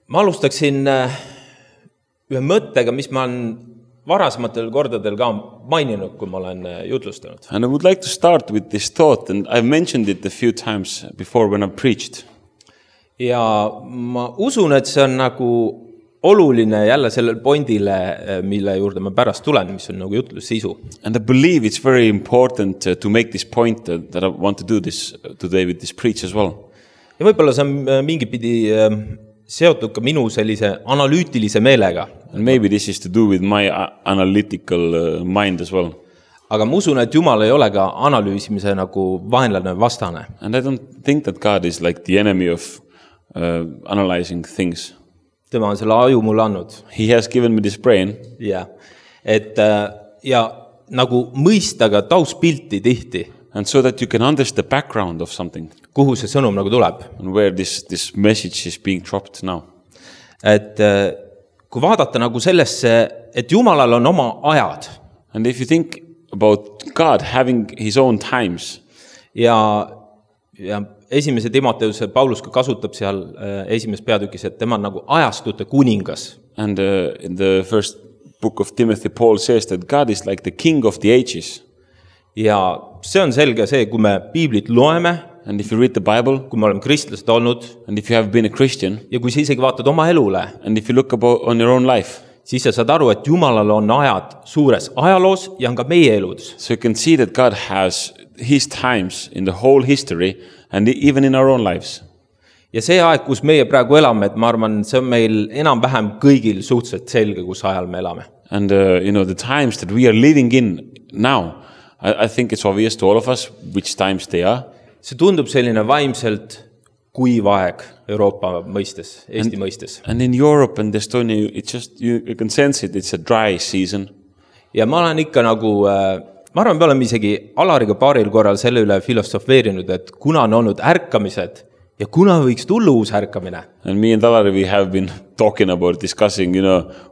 Ma alustaksin ühe mõttega, mis ma olen varasematel kordadel ka maininud, kui ma olen jutlustanud. And I would like to start with this thought, and I've mentioned it a few times before when I've preached. Ja ma usun, et see on nagu oluline jälle sellel pointile, mille juurde ma pärast tulen, mis on nagu jutlus sisu. And I believe it's very important to make this point that I want to do this today with this preach as well. Ja võib-olla see on mingi pidi seotud ka minu sellise analüütilise meelega. And maybe this is to do with my analytical mind as well. Aga ma usun, et Jumal ei ole ka analüüsimise nagu vaenlane vastane. And I don't think that God is like the enemy of analyzing things. Tema on selle aju mulle andnud. He has given me this brain. Ja, ja nagu mõista ka tauspilti tihti. And so that you can understand the background of something. Kuhu see sõnum nagu tuleb. And where this message is being dropped now. Et kui vaadata nagu sellesse, et Jumalal on oma ajad. And if you think about God having his own times. Ja esimese Timoteuse Paulus ka kasutab seal esimeses peatükis, et tema on nagu ajastute kuningas. And in the first book of Timothy, Paul says that God is like the king of the ages. Ja see on selge see, kui me piiblit loeme, and if you read the Bible, kui me oleme kristlased olnud, and if you have been a Christian, ja kui sa isegi vaatad oma elule, and if you look about on your own life, siis sa saad aru, et Jumalal on ajad suures ajaloos ja on ka meie elus. So you can see that God has his times in the whole history and even in our own lives. Ja see aeg, kus meie praegu elame, et ma arvan, see on meil enam-vähem kõigil suhteliselt selge, kus ajal me elame. And the times that we are living in now, I think it's obvious to all of us which times they are. See tundub selline vaimselt kuiv aeg Euroopa mõistes, Eesti mõistes. And in Europe and Estonia, it's just, you can sense it, it's a dry season. Ja ma olen ikka nagu, ma arvan, me oleme isegi Alariga paaril korral selle üle filosofeerinud, et kuna on olnud ärkamised ja kuna võiks tulla uus ärkamine. And me and Alari, we have been talking about, discussing,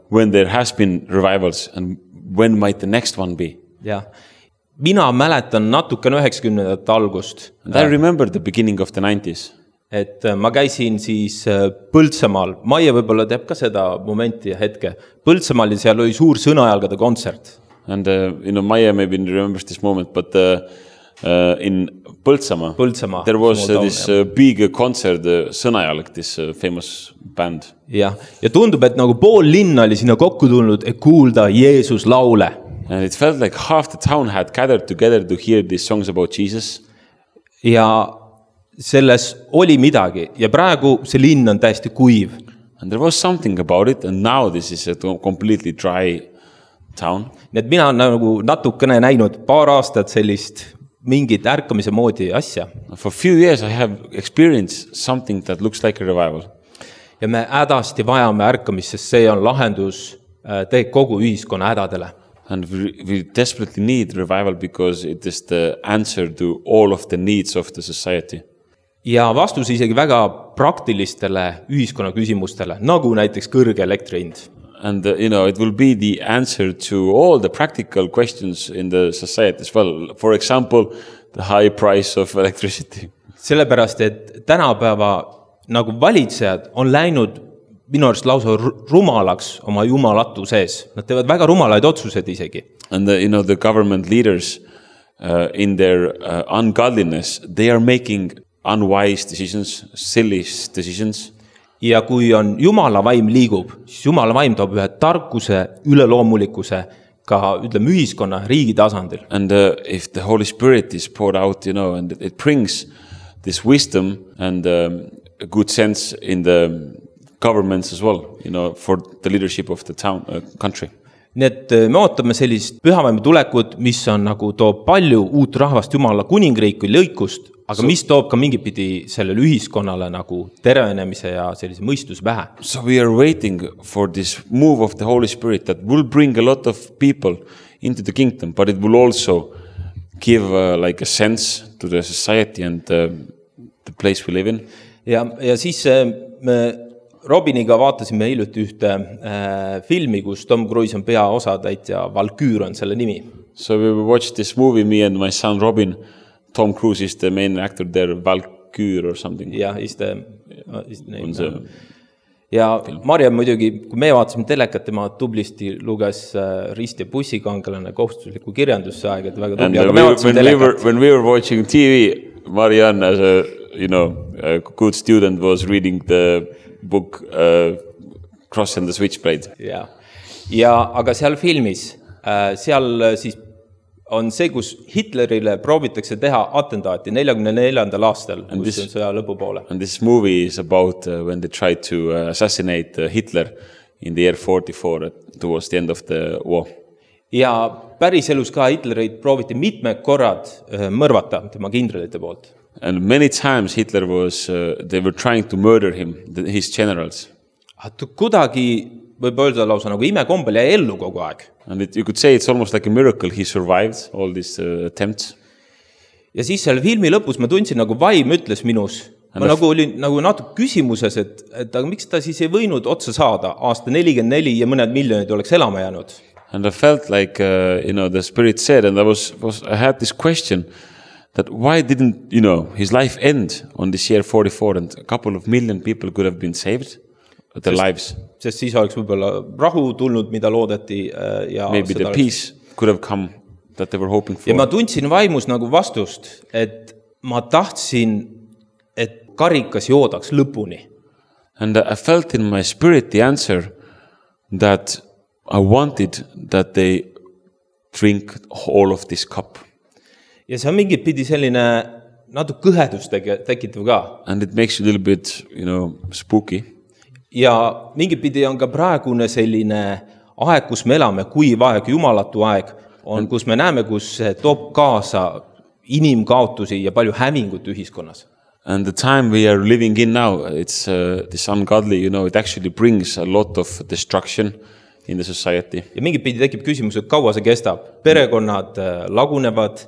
when there has been revivals and when might the next one be. Ja. Mina mäletan natuke 90ndate algust. And I remember the beginning of the 90s. Et ma käisin siis Põltsamaal. Maie võib-olla teab ka seda momenti ja hetke. Põltsamaal ja seal oli suur sõnajalgade kontsert. And Maie maybe remembers this moment, but in Põltsamaa, there was this big concert, Sõnajalg, this famous band. Ja tundub, et nagu pool linna oli sinna kokku tulnud, et kuulda Jeesus laule. And it felt like half the town had gathered together to hear these songs about Jesus. Ja selles oli midagi. Ja praegu see linn on täiesti kuiv. And there was something about it, and now this is a completely dry town. Nii et mina nagu natukene näinud paar aastat sellist mingit ärkamise moodi asja. For a few years I have experienced something that looks like a revival. Ja me hädasti vajame ärkamist, sest see on lahendus kogu ühiskonna hädadele. And we desperately need revival because it is the answer to all of the needs of the society. Ja vastus isegi väga praktilistele ühiskonna küsimustele, nagu näiteks kõrge elektrihind. And it will be the answer to all the practical questions in the society as well. For example, the high price of electricity. Sellepärast, et tänapäeva nagu valitsejad on läinud minu arust lausa rumalaks oma jumalatu sees. Nad teevad väga rumalaid otsuseid isegi. And the government leaders in their ungodliness, they are making unwise decisions, silly decisions. Ja kui on Jumala vaim liigub, siis Jumala vaim toob ühe tarkuse, üleloomulikkuse ka ütleme ühiskonna, riigi tasandil. And if the Holy Spirit is poured out, and it brings this wisdom and a good sense in the governments as well, for the leadership of the town, country. Nii et me ootame sellist pühavaimu tulekut, mis on nagu toob palju uut rahvast Jumala kuningriiki lõikust, aga mis toob ka mingi pidi sellele ühiskonnale nagu tervenemise ja sellise mõistuse pähe. So we are waiting for this move of the Holy Spirit that will bring a lot of people into the kingdom, but it will also give like a sense to the society and the place we live in. Ja siis me Robiniga vaatasime hiljuti ühte filmi, kus Tom Cruise on peaosatäitja, Valkyr on selle nimi. So we watched this movie, me and my son Robin. Tom Cruise is the main actor there, Valkyr or something. Yeah, is the name. Ja Marja muidugi, kui me vaatasime telekat, tema tublisti luges Rist ja bussikangelane kohustusliku kirjanduse aeg, et väga tubli, aga me vaatasime telekat. When we were watching TV, Marianne, as a good student, was reading the book Cross and the Switchblade. Ja aga seal filmis, seal siis on see, kus Hitlerile proovitakse teha atentaati 44. aastal, kus on sõja lõpupoole. And this movie is about when they tried to assassinate Hitler in the year 44 towards the end of the war. Ja päris elus ka Hitlerit prooviti mitmed korrad mõrvata tema kindralite poolt. And many times Hitler they were trying to murder him, his generals. Kuidagi võib öelda lausa nagu imekombel jäi ellu kogu aeg. And you could say it's almost like a miracle he survived all these attempts. Ja siis selle filmi lõpus ma tundsin nagu vaim ütles minus. Ma nagu olin nagu natuke küsimuses, et aga miks ta siis ei võinud otsa saada aasta 44 ja mõned miljonid oleks elama jäänud. And I felt like, the spirit said, and I had this question that why didn't, his life end on this year 44 and a couple of million people could have been saved? Their lives. Sest siis oleks võib-olla rahu tulnud, mida loodeti. Ja maybe the peace could have come that they were hoping for. Ja ma tundsin vaimus nagu vastust, et ma tahtsin, et karikas joodaks lõpuni. And I felt in my spirit the answer that I wanted that they drink all of this cup. Ja see on mingit pidi selline natuke kõhedust tekitav ka. And it makes you a little bit, spooky. Ja mingit pidi on ka praegune selline aeg, kus me elame, kuiv aeg, jumalatu aeg, on, kus me näeme, kus toob kaasa inimkaotusi ja palju hävingut ühiskonnas. And the time we are living in now, it's this ungodly, it actually brings a lot of destruction in the society. Ja mingit pidi tekib küsimus, et kaua see kestab. Perekonnad lagunevad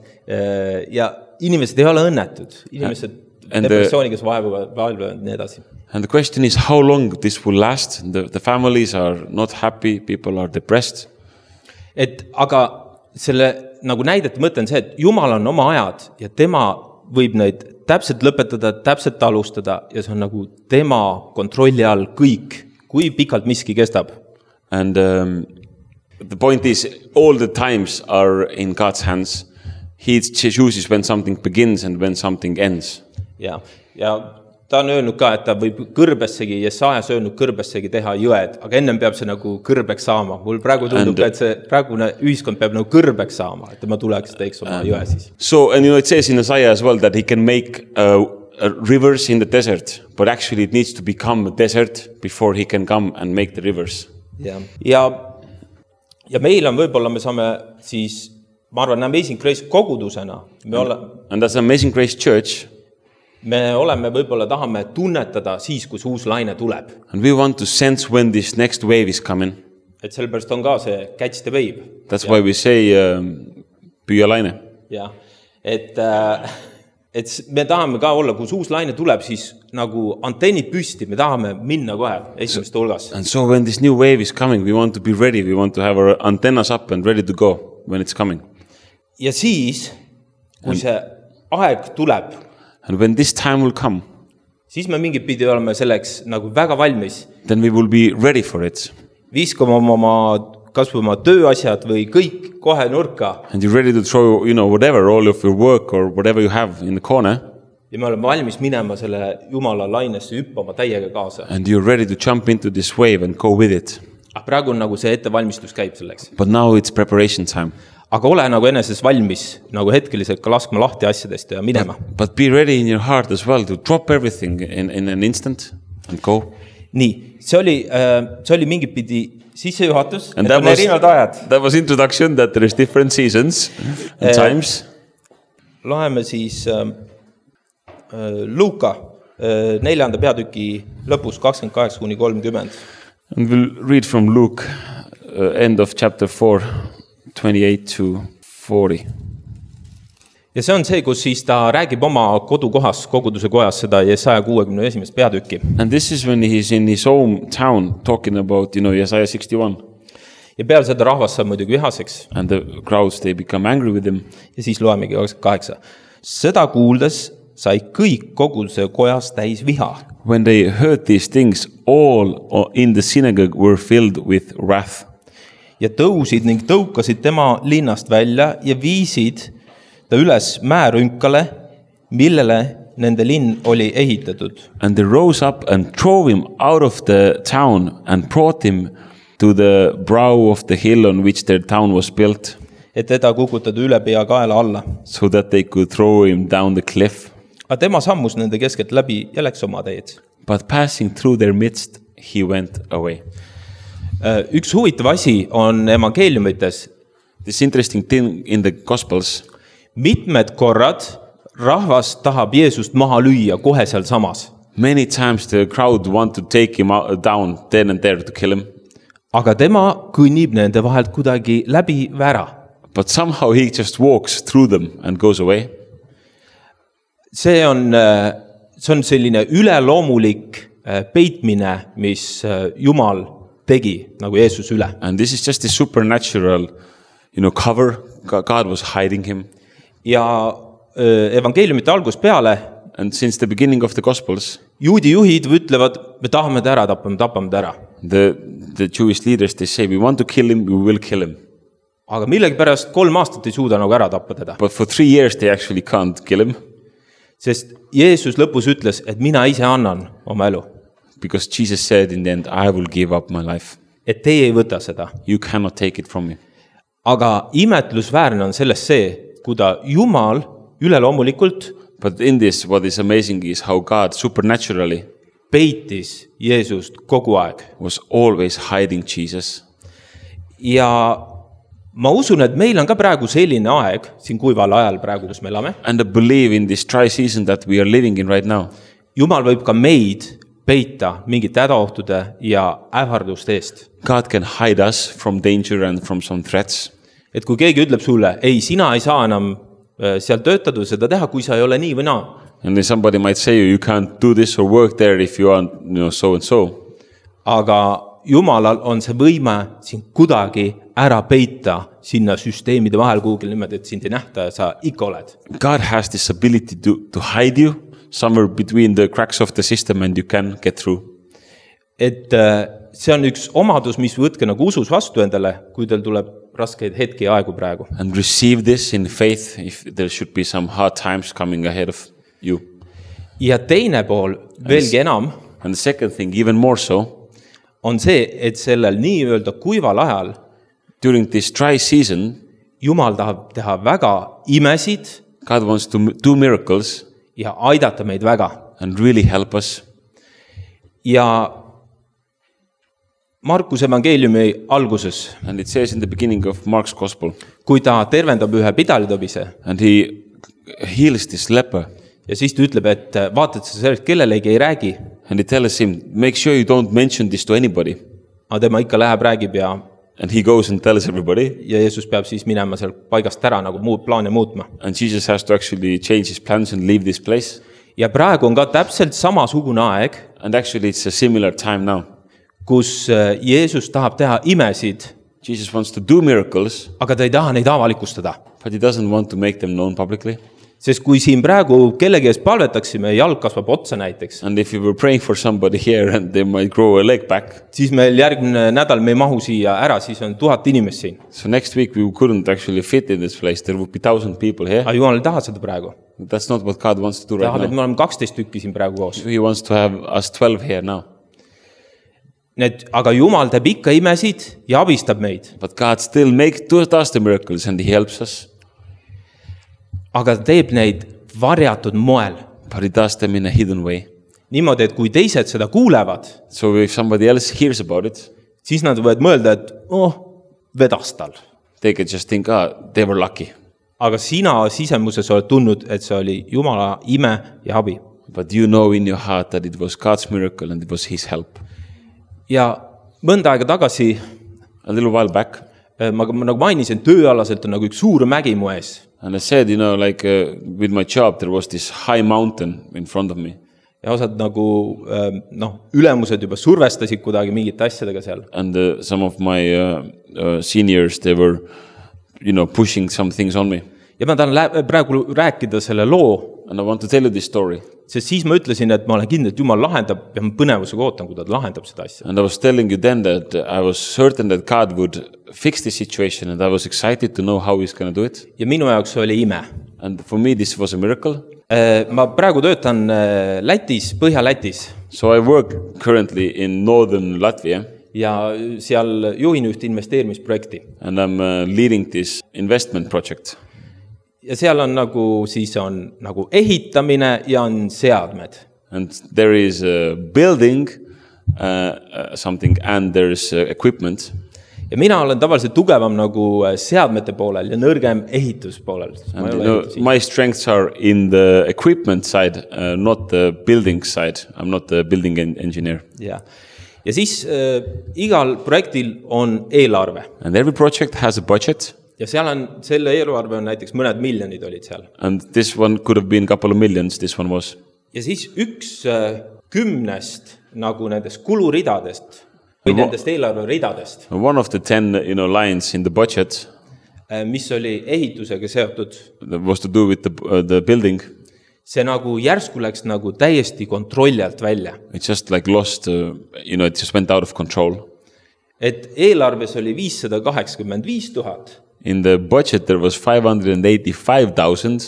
ja inimesed ei ole õnnetud. Inimesed depressiooniga vaevuvad nii edasi. And the question is how long this will last. The families are not happy, people are depressed. Aga selle nagu näidete mõte on see, et Jumal on oma ajad ja tema võib neid täpselt lõpetada, täpselt alustada ja see on nagu tema kontrolli all kõik, kui pikalt miski kestab. And the point is all the times are in God's hands. He chooses when something begins and when something ends. Ja ta on öelnud ka, et ta võib kõrbessegi, Jesajas öelnud kõrbessegi teha jõed, aga ennem peab see nagu kõrbeks saama. Mul praegu tundub, et see praegune ühiskond peab nagu kõrbeks saama, et ma tuleks teeks oma jõe siis. So, and it says in Isaiah as well that he can make rivers in the desert, but actually it needs to become a desert before he can come and make the rivers. Ja meil on võib-olla, me saame siis, ma arvan, Amazing Grace kogudusena. And as Amazing Grace Church, me oleme võib-olla tahame tunnetada siis, kus uus laine tuleb. And we want to sense when this next wave is coming. Et sellepärast on ka see catch the wave. That's why we say püüa laine. Ja, et me tahame ka olla, kus uus laine tuleb, siis nagu antennid püsti, me tahame minna kohe esimeste hulgas. And so when this new wave is coming, we want to be ready, we want to have our antennas up and ready to go when it's coming. Ja siis, kui see aeg tuleb, and when this time will come, siis me mingit pidi oleme selleks nagu väga valmis. Then we will be ready for it. Viskame kas või oma tööasjad või kõik kohe nurka. And you're ready to throw, whatever, all of your work or whatever you have in the corner. Ja me oleme valmis minema selle Jumala lainesse hüppama täiega kaasa. And you're ready to jump into this wave and go with it. Praegu on nagu see ettevalmistus käib selleks. But now it's preparation time. Aga ole nagu eneses valmis, nagu hetkeliselt ka laskma lahti asjadest ja minema. But be ready in your heart as well to drop everything in an instant and go. Nii, see oli mingit pidi sissejuhatus, et on erinevad ajad. That was introduction that there is different seasons and times. Loeme siis Luuka 4. peatüki lõpus 28-30. And we'll read from Luke, end of chapter 4, 28-40. Ja see on see, kus siis ta räägib oma kodukohas, koguduse kojas seda Jesaja 61. peatükki. And this is when he's in his hometown talking about, Jesaja 61. Ja peale seda rahvas saab muidugi vihaseks. And the crowds, they become angry with him. Ja siis loemegi 28. Seda kuuldes sai kõik koguduse kojas täis viha. When they heard these things, all in the synagogue were filled with wrath. Ja tõusid ning tõukasid tema linnast välja ja viisid ta üles määrünkale, millele nende linn oli ehitatud. And they rose up and drove him out of the town and brought him to the brow of the hill on which their town was built, Et teda kukutada üle pea kaela alla. so that they could throw him down the cliff. Aga tema sammus nende keskelt läbi ja läks oma teed. But passing through their midst, he went away. Üks huvitav asi on evangeeliumites. This interesting thing in the Gospels, Mitmed korrad rahvas tahab Jeesust maha lüüa kohe seal samas. many times the crowd want to take him down then and there to kill him. Aga tema kõnnib nende vahelt kuidagi läbi vära. But somehow he just walks through them and goes away. See on selline üleloomulik peitmine, mis Jumal tegi nagu Jeesus üle. And this is just a supernatural, cover. God was hiding him. Ja evangeeliumite algus peale And since the beginning of the Gospels, juudi juhid ütlevad, me tahame ta ära tappa, me tapame ta ära. the Jewish leaders, they say, we want to kill him, we will kill him. Aga millegipärast 3 aastat ei suuda nagu ära tappa teda. But for 3 years, they actually can't kill him. Sest Jeesus lõpus ütles, et mina ise annan oma elu. Because Jesus said in the end, I will give up my life. Et teie ei võta seda. You cannot take it from me. Aga imetlusväärne on sellest see, kuida Jumal üleloomulikult But in this, what is amazing is how God supernaturally peitis Jeesust kogu aeg. was always hiding Jesus. Ja ma usun, et meil on ka praegu selline aeg, siin kuival ajal praegu, kus me elame. And I believe in this dry season that we are living in right now, Jumal võib ka meid peita mingite hädaohtude ja ähvarduste eest. God can hide us from danger and from some threats. Et kui keegi ütleb sulle, ei, sina ei saa enam seal töötada seda teha, kui sa ei ole nii või naa. And then somebody might say, you can't do this or work there if you are, so and so. Aga Jumalal on see võime sind kuidagi ära peita sinna süsteemide vahel kuhugil niimoodi, et sind ei nähta ja sa ikka oled. God has this ability to hide you somewhere between the cracks of the system and you can get through. Et see on üks omadus, mis võtke nagu usus vastu endale, kui teil tuleb raskeid hetki ja aegu praegu. And receive this in faith if there should be some hard times coming ahead of you. Ja teine pool, veelgi enam, And the second thing, even more so, on see, et sellel nii-öelda kuival ajal during this dry season, Jumal tahab teha väga imesid God wants to do miracles ja aidata meid väga. and really help us. Ja Markuse evangeeliumi alguses, And it says in the beginning of Mark's Gospel, kui ta tervendab ühe pidalitõbise and he heals this leper, ja siis ta ütleb, et vaata, et sa sellest kellelegi ei räägi, and he tells him, make sure you don't mention this to anybody. aga tema ikka läheb, räägib ja And he goes and tells everybody. Jeesus peab siis minema seal paigast ära nagu muud plaane muutma. And Jesus has to actually change his plans and leave this place. Ja praegu on ka täpselt samasugune aeg, And actually it's a similar time now. kus Jeesus tahab teha imesid, Jesus wants to do miracles, aga ta ei taha neid avalikustada. but he doesn't want to make them known publicly. Sest kui siin praegu kellegi eest palvetaksime, jalg kasvab otsa näiteks, And if you were praying for somebody here and they might grow a leg back, siis meil järgmine nädal me ei mahu siia ära, siis on 1000 inimest siin. so next week we couldn't actually fit in this place. There would be 1,000 people here. Aga Jumal ei taha seda praegu. That's not what God wants to do Tahab, right et now. me oleme 12 tükki siin praegu koos. He wants to have us 12 here now. Aga Jumal teeb ikka imesid ja abistab meid. But God still does the miracles and he helps us. Aga ta teeb neid varjatud moel. But he does them in a hidden way. Niimoodi, et kui teised seda kuulevad, So if somebody else hears about it, siis nad võivad mõelda, et vedas tal. they can just think, they were lucky. Aga sina sisemuses oled tundnud, et see oli Jumala ime ja abi. But you know in your heart that it was God's miracle and it was his help. Ja mõnda aega tagasi, A little while back, ma nagu mainisin, tööalaselt on nagu üks suur mägi mu ees. and I said, with my job, there was this high mountain in front of me. Ja osad nagu, ülemused juba survestasid kuidagi mingite asjadega seal. And some of my seniors, they were, pushing some things on me. Ja ma tahan praegu rääkida selle loo, And I want to tell you this story. Sest siis ma ütlesin, et ma olen kindel, et Jumal lahendab ja ma põnevusega ootan, kui ta lahendab seda asja. And I was telling you then that I was certain that God would fix the situation and I was excited to know how he's going to do it. Ja minu jaoks oli ime. And for me, this was a miracle. Ma praegu töötan Lätis, Põhja-Lätis. So I work currently in northern Latvia. Ja seal juhin üht investeerimisprojekti. And I'm leading this investment project. Ja seal on siis on ehitamine ja on seadmed. And there is a building something and there's equipment. Ja mina olen tavaliselt tugevam seadmete poolel ja nõrgem ehituspoolel. And my strengths are in the equipment side, not the building side. I'm not the building engineer. Ja siis igal projektil on eelarve. And every project has a budget. Ja seal on, selle eelarve on näiteks mõned miljonid olid seal. And this one could have been a couple of millions, this one was. Ja siis 1/10 nendest kuluridadest või nendest eelarveridadest. One of the 10 lines in the budget. Mis oli ehitusega seotud. That was to do with the building. See järsku läks täiesti kontrolli alt välja. It just like lost, it just went out of control. Et eelarves oli 585,000. In the budget there was 585,000.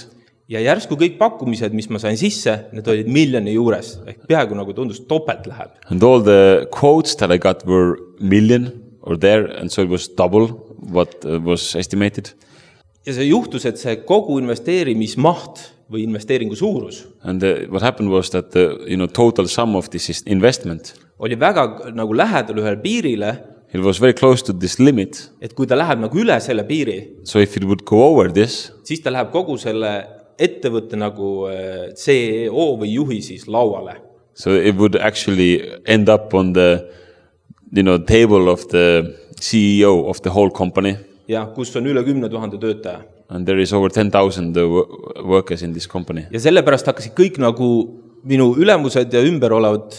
Ja järsku kõik pakkumised, mis ma sain sisse, need olid miljoni juures. Ehk peaaegu tundus topelt läheb. And all the quotes that I got were million or there, and so it was double what was estimated. Ja see juhtus, et see kogu investeerimismaht või investeeringu suurus. And what happened was that the total sum of this investment oli väga lähedal ühel piirile. It was very close to this limit. Et kui ta läheb üle selle piiri. So if it would go over this, siis ta läheb kogu selle ettevõtte CEO või juhi siis lauale. So it would actually end up on the table of the CEO of the whole company. Ja kus on üle 10,000 töötaja. And there is over 10,000 workers in this company. Ja sellepärast hakkasid kõik minu ülemused ja ümber olevad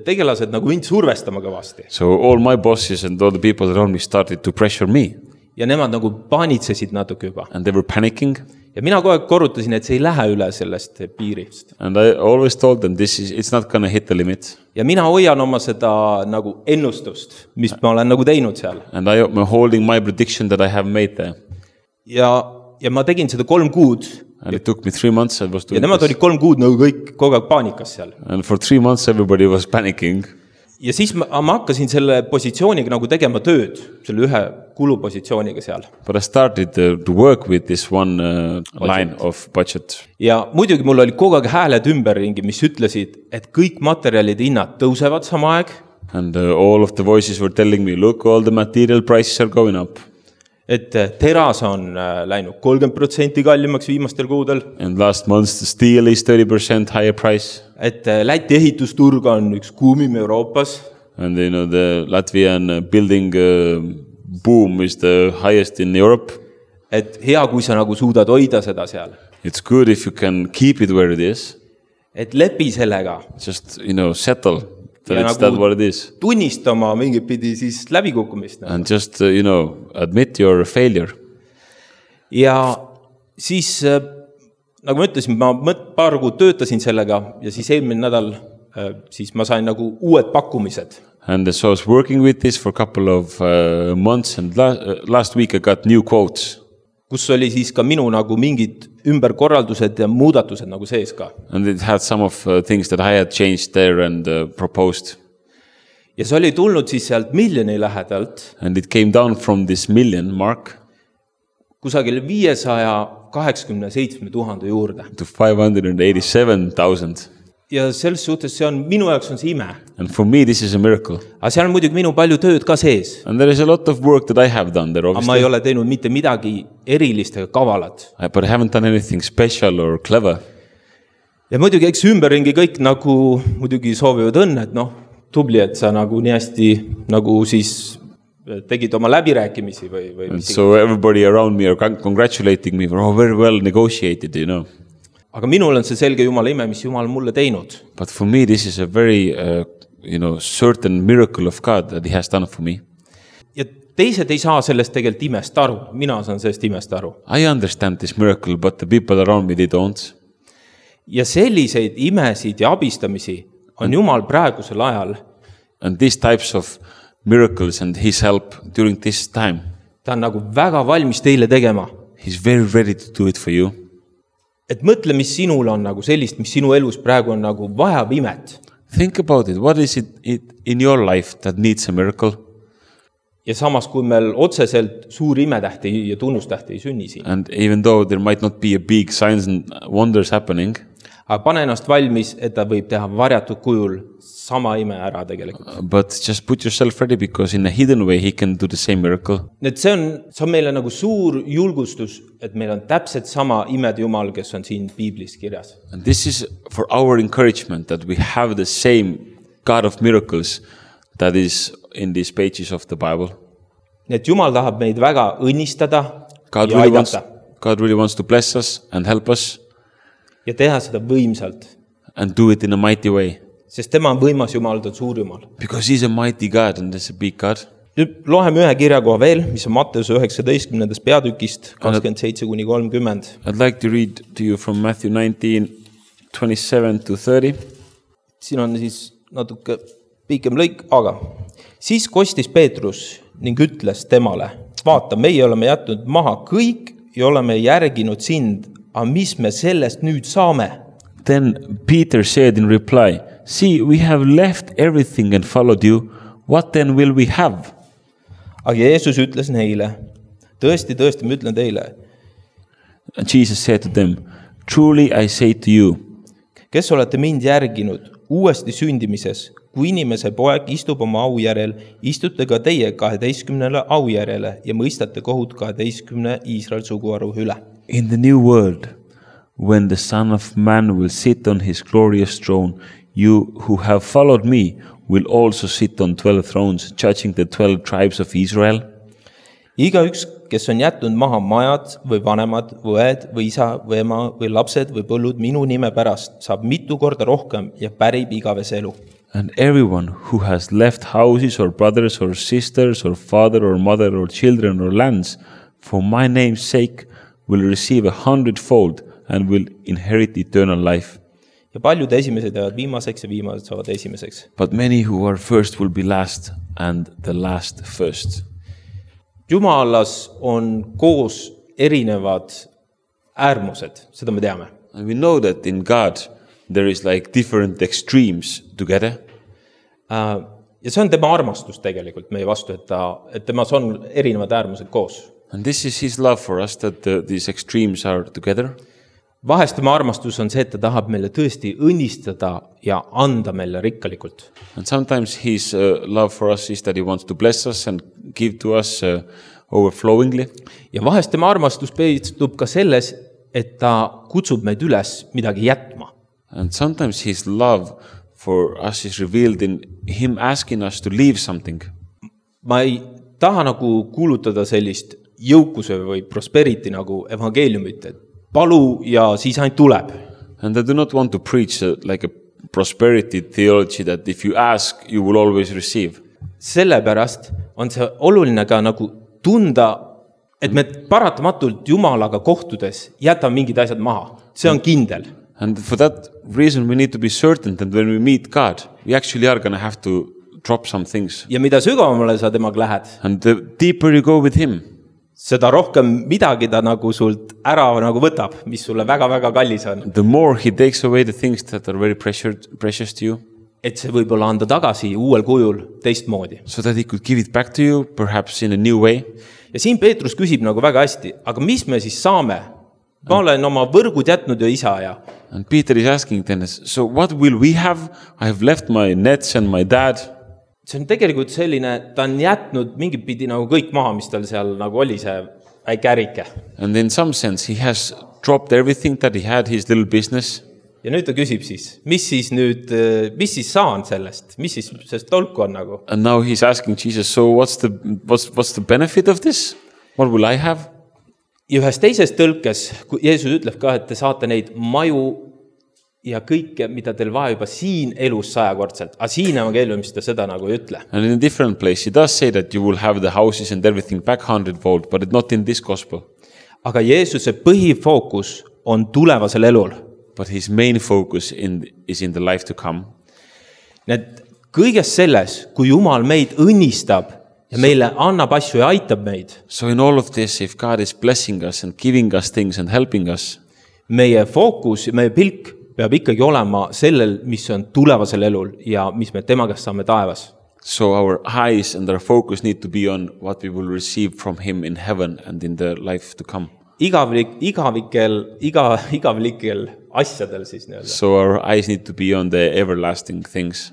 tegelased mind survestama kõvasti. So all my bosses and all the people around me started to pressure me. Ja nemad paanitsesid natuke juba. And they were panicking. Ja mina kogu aeg korrutasin, et see ei lähe üle sellest piirist. And I always told them it's not going to hit the limit. Ja mina hoian oma seda ennustust, mis ma olen teinud seal. And I'm holding my prediction that I have made there. Ja ma tegin seda 3 kuud. And it took me 3 months. I was doing ja nemad olid 3 kuud kõik kogu aeg paanikas seal. And for 3 months everybody was panicking. Ja siis ma hakkasin selle positsiooniga tegema tööd, selle ühe kulupositsiooniga seal. But I started to work with this one line of budget. Ja muidugi mul oli kogu aeg hääled ümberringi, mis ütlesid, et kõik materjalide hinnad tõusevad sama aeg. And all of the voices were telling me, look, all the material prices are going up. Et teras on läinud 30% kallimaks viimastel kuudel. And last month the steel is 30% higher price. Et Läti ehitusturg on üks kuumim Euroopas. And the Latvian building boom is the highest in Europe. Et hea, kui sa suudad hoida seda seal. It's good if you can keep it where it is. Et lepi sellega. Just, settle. It's that what it is. Tunnistama mingit pidi siis läbikukkumist. And just, admit your failure. Ja siis, nagu ma ütlesin, ma paar kuud töötasin sellega ja siis eelmine nädal siis ma sain uued pakkumised. And so I was working with this for a couple of months and last week I got new quotes. Kus oli siis ka minu mingid ümberkorraldused ja muudatused sees ka. And it had some of things that I had changed there and proposed. Ja see oli tulnud siis sealt miljoni lähedalt. And it came down from this million mark. Kusagil 587,000 juurde. To 587,000. Ja selles suhtes minu jaoks on see ime. And for me this is a miracle. Aga seal on muidugi minu palju tööd ka sees. And there is a lot of work that I have done there obviously. Aga ma ei ole teinud mitte midagi erilist ega kavalat. But I haven't done anything special or clever. Ja muidugi eks ümberringi kõik muidugi soovivad õnne, et tubli, et sa nii hästi siis tegid oma läbirääkimisi või And so everybody around me are congratulating me for very well negotiated, Aga minul on see selge Jumala ime, mis Jumal mulle teinud. But for me this is a very certain miracle of God that he has done for me. Ja teised ei saa sellest tegelikult imest aru. Mina saan sellest imest aru. I understand this miracle, but the people around me, they don't. Ja selliseid imesid ja abistamisi on Jumal praegusel ajal. And these types of miracles and his help during this time, Ta on nagu väga valmis teile tegema. he's very ready to do it for you. Et mõtle, mis sinul on nagu sellist, mis sinu elus praegu on nagu vajab imet. Think about it. What is it in your life that needs a miracle? Ja samas, kui meil otseselt suur imetähti ja tunnustähti ei sünni siin. And even though there might not be a big signs and wonders happening, Aga pane ennast valmis, et ta võib teha varjatud kujul sama ime ära tegelikult. but just put yourself ready because in a hidden way he can do the same miracle. Et see on meile nagu suur julgustus, et meil on täpselt sama imed Jumal, kes on siin Piiblis kirjas. And this is for our encouragement that we have the same God of miracles that is in these pages of the Bible. Et Jumal tahab meid väga õnnistada God ja really wants to bless us and help us ja teha seda võimsalt. and do it in a mighty way. Sest tema on võimas Jumal, ta on suur Jumal. Because he's a mighty God and he's a big God. Nüüd loeme ühe kirjakoha veel, mis on Matteuse 19. peatükist 27-30. I'd like to read to you from Matthew 19:27-30. Siin on siis natuke pikem lõik, aga siis kostis Peetrus ning ütles temale, vaata, meie oleme jätnud maha kõik ja oleme järginud sind, aga mis me sellest nüüd saame? Then Peter said in reply, see, we have left everything and followed you. What then will we have? Aga Jeesus ütles neile, tõesti, ma ütlen teile, And Jesus said to them, truly I say to you, kes olete mind järginud uuesti sündimises, kui inimese poeg istub oma au järel, istute ka teie 12 au järele ja mõistate kohut 12 Iisrael suguharu üle. in the new world, when the Son of Man will sit on his glorious throne, you who have followed me will also sit on 12 thrones, judging the 12 tribes of Israel. Igaüks, kes on jätnud maha majad või vanemad, või õed või isa või ema või lapsed või põllud minu nime pärast, saab mitu korda rohkem ja pärib igavese elu. And everyone who has left houses or brothers or sisters or father or mother or children or lands for my name's sake will receive 100-fold and will inherit eternal life. Ja paljud esimesed jäävad viimaseks ja viimased saavad esimeseks. But many who are first will be last and the last first. Jumalas on koos erinevad äärmused, seda me teame. And we know that in God there is like different extremes together. Ja see on tema armastus tegelikult meie vastu, et temas on erinevad äärmused koos. And this is his love for us, that these extremes are together. Vahest tema armastus on see, et ta tahab meile tõesti õnnistada ja anda meile rikkalikult. And sometimes his love for us is that he wants to bless us and give to us overflowingly. Ja vahest tema armastus peitub ka selles, et ta kutsub meid üles midagi jätma. And sometimes his love for us is revealed in him asking us to leave something. Ma ei taha nagu kuulutada sellist jõukuse või prosperity nagu evangeeliumit, et palu ja siis ainult tuleb. And I do not want to preach like a prosperity theology that if you ask, you will always receive. Sellepärast on see oluline ka nagu tunda, et me paratamatult Jumalaga kohtudes jätame mingid asjad maha. See on kindel. And for that reason we need to be certain that when we meet God, we actually are going to have to drop some things. Ja mida sügavamale sa temaga lähed, And the deeper you go with him, seda rohkem midagi ta nagu sult ära nagu võtab, mis sulle väga-väga kallis on. the more he takes away the things that are very precious to you, Et see võib-olla anda tagasi uuel kujul teistmoodi. so that he could give it back to you, perhaps in a new way. Ja siin Peetrus küsib nagu väga hästi, aga mis me siis saame? Ma olen oma võrgud jätnud ja isa ja And Peter is asking then, so what will we have? I have left my nets and my dad. see on tegelikult selline, ta on jätnud mingit pidi nagu kõik maha, mis tal seal nagu oli see väike ärike. And in some sense, he has dropped everything that he had, his little business. Ja nüüd ta küsib siis, mis siis saan sellest? Mis siis sest tolku on nagu? And now he's asking Jesus, so what's the benefit of this? What will I have? Ja ühes teises tõlkes, kui Jeesus ütleb ka, et te saate neid maju ja kõike, mida teil vaja juba siin elus 100-kordselt. Aga siin evangeeliumis ta seda nagu ei ütle. And in a different place, he does say that you will have the houses and everything back 100-fold, but not in this gospel. Aga Jeesuse põhifookus on tulevasel elul. but his main focus is in the life to come. Need kõiges selles, kui Jumal meid õnnistab ja meile annab asju ja aitab meid. So in all of this, if God is blessing us and giving us things and helping us, meie fookus ja meie pilk peab ikkagi olema sellel, mis on tulevasel elul ja mis me tema käest saame taevas. so our eyes and our focus need to be on what we will receive from him in heaven and in the life to come. Igavlikel asjadel siis nii-öelda. So our eyes need to be on the everlasting things.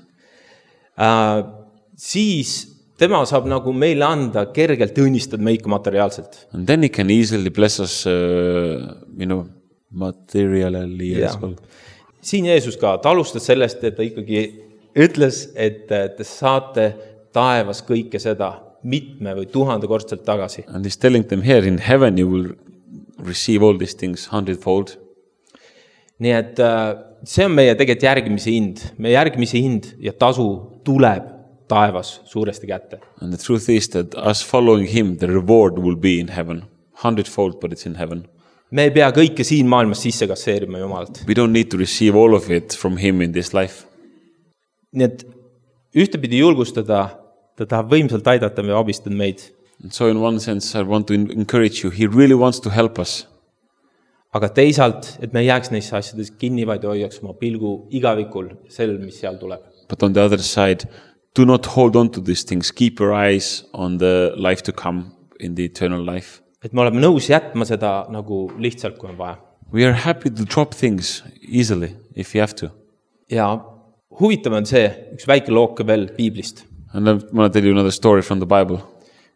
Siis tema saab nagu meile anda kergelt õnnistada meid ka materiaalselt. And then he can easily bless us, materially as well. Siin Jeesus ka, ta alustas sellest, et ta ikkagi ütles, et te saate taevas kõike seda mitme või 1000-kordselt tagasi. And he's telling them here in heaven you will receive all these things 100-fold. Nii et see on meie tegelikult järgmise hind. Meie järgmise hind ja tasu tuleb taevas suuresti kätte. And the truth is that us following him, the reward will be in heaven. 100-fold, but it's in heaven. Me ei pea kõike siin maailmas sisse kasseerima Jumalalt. We don't need to receive all of it from him in this life. Nii et ühtepidi julgustada, ta tahab võimsalt aidata ja abistada meid. And so in one sense, I want to encourage you. He really wants to help us. Aga teisalt, et me ei jääks neisse asjades kinni, vaid hoiaks oma pilgu igavikul sellel, mis seal tuleb. But on the other side, do not hold on to these things. Keep your eyes on the life to come in the eternal life. Et me oleme nõus jätma seda nagu lihtsalt, kui on vaja. We are happy to drop things easily if you have to. Ja huvitav on see, üks väike looke veel Piiblist. And I want to tell you another story from the Bible.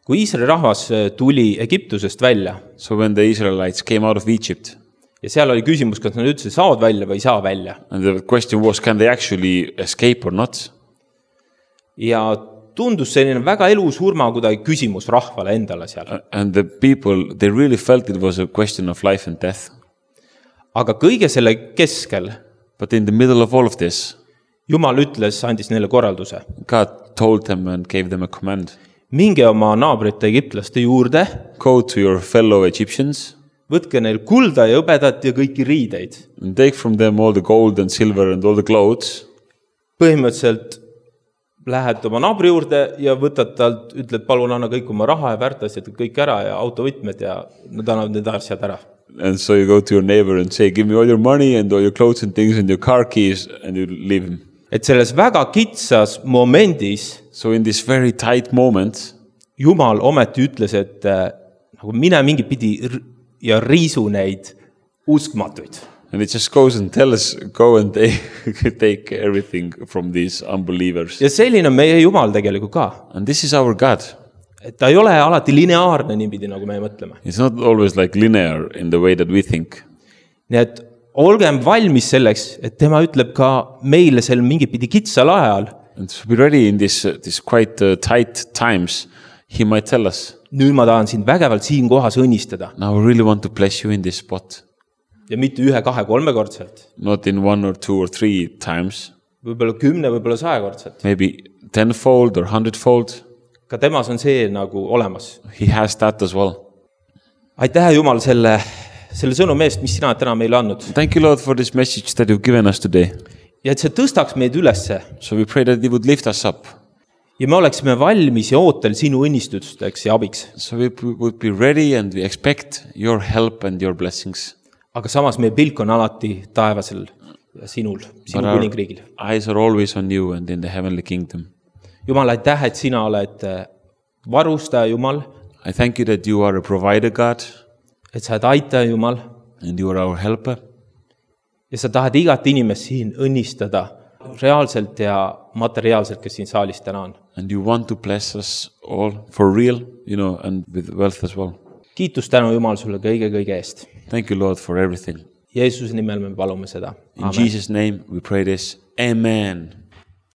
Kui Iisraeli rahvas tuli Egiptusest välja, So when the Israelites came out of Egypt, ja seal oli küsimus, kas nad üldse saavad välja või ei saa välja. and the question was, can they actually escape or not? Ja tundus selline väga elusurma kuidagi küsimus rahvale endale seal. And the people, they really felt it was a question of life and death. Aga kõige selle keskel But in the middle of all of this, Jumal ütles, andis neile korralduse. God told them and gave them a command. Minge oma naabrite egiptlaste juurde, Go to your fellow Egyptians võtke neil kulda ja hõbedat ja kõiki riideid. and take from them all the gold and silver and all the clothes. Põhimõtteliselt lähed oma naabri juurde ja võtad talt, ütled, palun anna kõik oma raha ja väärtasjad kõik ära ja autovõtmed ja nad annavad need asjad ära. And so you go to your neighbor and say, give me all your money and all your clothes and things and your car keys, and you leave him. Et selles väga kitsas momendis So in this very tight moment, Jumal ometi ütles, et nagu mine mingi pidi ja riisu neid uskmatuid. and it just goes and tells, go and take everything from these unbelievers. Ja selline on meie Jumal tegelikult ka. And this is our God. Et ta ei ole alati lineaarne niipidi, nagu me mõtleme. It's not always like linear in the way that we think. Nii et olgem valmis selleks, et tema ütleb ka meile sel mingi pidi kitsal ajal. And to be ready in this quite tight times, he might tell us, Nüüd ma tahan sind vägevalt siin kohas õnnistada. now I really want to bless you in this spot. Ja mitte 1, 2, 3 kordselt. Not in 1 or 2 or 3 times, Võib-olla 10, võib-olla 100 kordselt. maybe 10-fold or 100-fold. Ka temas on see nagu olemas. He has that as well. Aitäh Jumal selle sõnumi eest, mis sina täna meile andnud. Thank you, Lord, for this message that you've given us today. Ja et see tõstaks meid ülesse. So we pray that He would lift us up. Ja me oleksime valmis ja ootel sinu õnnistusteks ja abiks. So we would be ready and we expect your help and your blessings. Aga samas meie pilk on alati taevasel ja sinul, sinu But our kuningriigil. eyes are always on you and in the heavenly kingdom. Jumal, aitäh, et sina oled varustaja Jumal, I thank you that you are a provider, God, et sa oled aitaja Jumal and you are our helper. ja sa tahad igat inimest siin õnnistada reaalselt ja materiaalselt, kes siin saalis täna on. And you want to bless us all for real, and with wealth as well. Kiitus tänu Jumal sulle kõige eest. Thank you, Lord, for everything. Jeesuse nimel me palume seda. In Jesus' name we pray this. Amen.